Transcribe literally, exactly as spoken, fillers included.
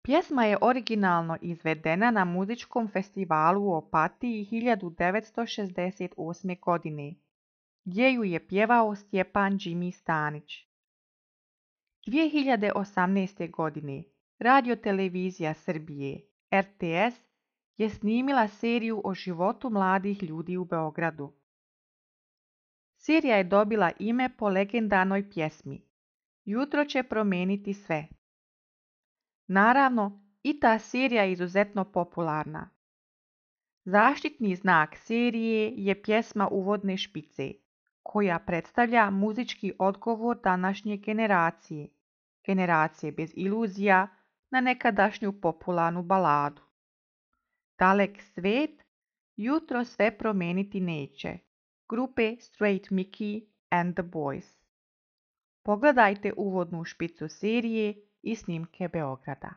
Pjesma je originalno izvedena na muzičkom festivalu u Opatiji hiljadu devetsto šezdeset osme. godine, gdje ju je pjevao Stjepan Jimmy Stanić. dvije hiljade osamnaeste. godine Radiotelevizija Srbije R T S je snimila seriju o životu mladih ljudi u Beogradu. Serija je dobila ime po legendarnoj pjesmi Jutro će promijeniti sve. Naravno, i ta serija je izuzetno popularna. Zaštitni znak serije je pjesma Uvodne špice, koja predstavlja muzički odgovor današnje generacije, generacije bez iluzija, na nekadašnju popularnu baladu. Dalek svet, jutro sve promijeniti neće, grupe Straight Mickey and the Boys. Pogledajte uvodnu špicu serije i snimke Beograda.